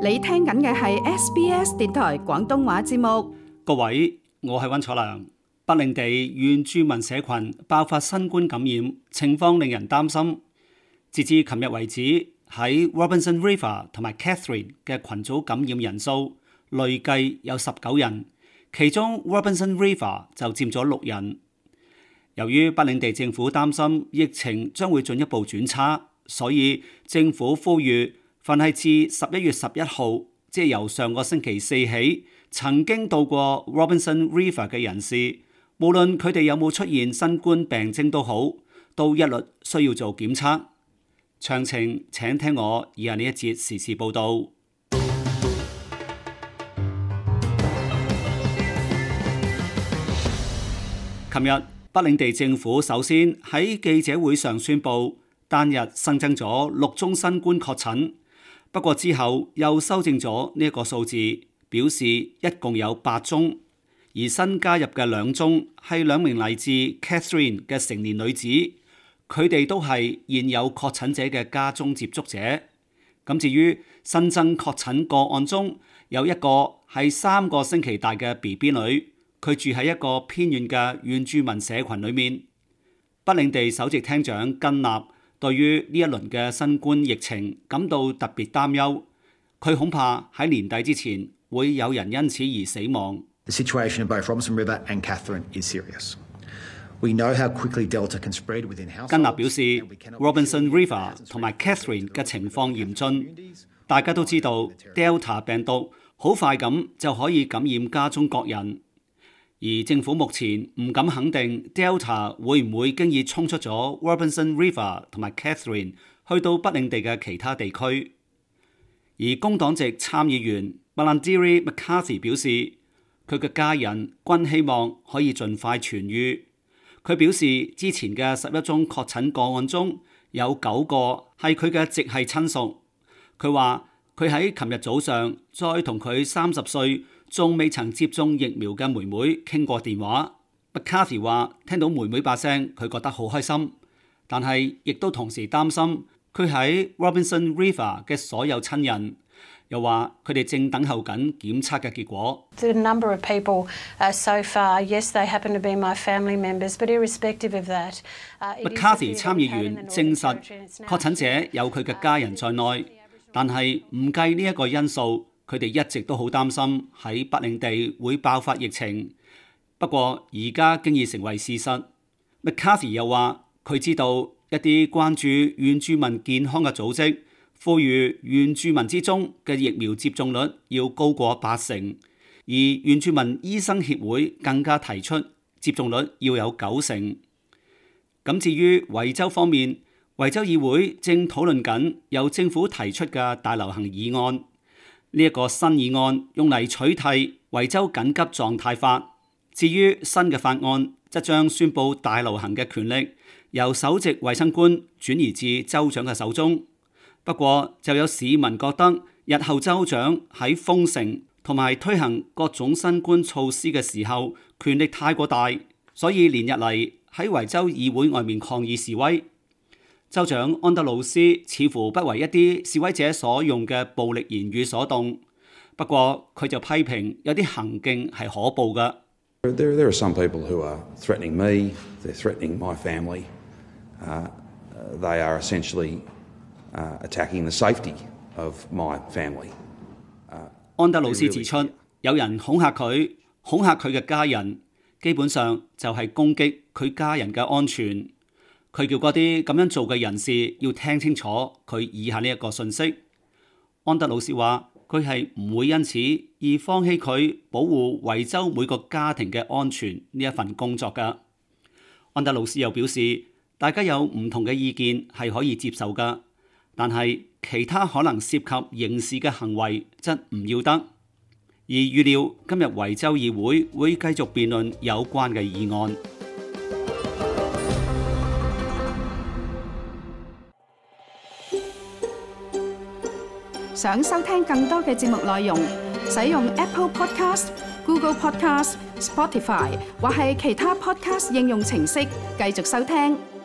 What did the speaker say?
你聽緊嘅係 SBS 電台廣東話節目。各位，我係溫楚良。北領地原住民社群爆發新冠感染，情況令人擔心。截至琴日為止，喺 Robinson River 同埋 Catherine 嘅群組感染人數累計有19人，其中 Robinson River 就佔咗6人。由於北領地政府擔心疫情將會進一步轉差，所以政府呼籲凡係自11月11號，即係由上個星期四起，曾經到過 Robinson River 嘅人士，無論佢哋有冇出現新冠病徵都好，都一律需要做檢測。詳情請聽我以下呢一節時事報導。琴日北領地政府首先喺記者會上宣布，單日新增咗6宗新冠確診，不過之後又修正咗呢一個數字，表示一共有8宗，而新加入嘅2宗係2名嚟自 Catherine 嘅成年女子，佢哋都係現有確診者嘅家中接觸者。咁至於新增確診個案中，有一個係3個星期大嘅 BB 女，佢住喺一個偏遠嘅原住民社群裏面。北領地首席廳長根納對於呢一輪嘅新冠疫情感到特別擔憂，佢恐怕喺年底之前會有人因此而死亡。The situation in both Robinson River and Catherine is serious. We know how quickly Delta can spread within households. 根納表示 ，Robinson River 同埋 Catherine 嘅情況嚴峻，大家都知道 Delta 病毒好快咁就可以感染家中各人。而政府目前唔敢肯定 Delta 會唔會經已衝出咗 Robinson River 同埋 Catherine 去到北領地嘅其他地區。而工黨籍參議員 Malarndirri McCarthy 表示，佢嘅家人均希望可以盡快痊癒。佢表示，之前嘅11宗確診個案中有9個係佢嘅直系親屬。佢話佢喺琴日早上再同佢30歲仲未曾接種疫苗嘅妹妹傾過電話。McCarthy 話聽到妹妹把聲，佢覺得好開心，但係亦都同時擔心佢喺 Robinson River 嘅所有親人，又話佢哋正等候緊檢測嘅結果。The number of people so far, yes, they happen to be my family members, but irrespective of that, McCarthy 參議員證實確診者有佢嘅家人在內，但係唔計呢一個因素，佢哋一直都好擔心喺北領地會爆發疫情。不過而家經已成為事實。McCarthy 又話佢知道一啲關注原住民健康嘅組織呼籲原住民之中嘅疫苗接種率要高過80%，而原住民醫生協會更加提出接種率要有90%。咁至於維州方面，維州議會正討論緊由政府提出嘅大流行議案。呢一個新議案用嚟取締維州緊急狀態法。至於新嘅法案，則將宣布大流行嘅權力由首席衛生官轉移至州長嘅手中。不過就有市民覺得，日後州長喺封城同埋推行各種新冠措施嘅時候，權力太過大，所以連日嚟喺維州議會外面抗議示威。州長安德魯斯似乎不為一啲示威者所用嘅暴力言語所動，不過佢就批評有啲行徑係可怖嘅。There are some people who are threatening me, they're threatening my family. They are essentially attacking the safety of my family. 安德魯斯指出，有人恐嚇佢嘅家人，基本上就係攻擊佢家人嘅安全。佢叫嗰啲咁樣做嘅人士要聽清楚佢以下呢一個信息。安德魯斯話佢係唔會因此而放棄佢保護維州每個家庭嘅安全呢一份工作㗎。安德魯斯又表示，大家有唔同嘅意見係可以接受㗎，但係其他可能涉及刑事嘅行為則唔要得。而預料今日維州議會繼續辯論有關嘅議案。想收聽更多嘅節目內容，使用 Apple Podcast、Google Podcast、Spotify 或係其他 Podcast 應用程式繼續收聽。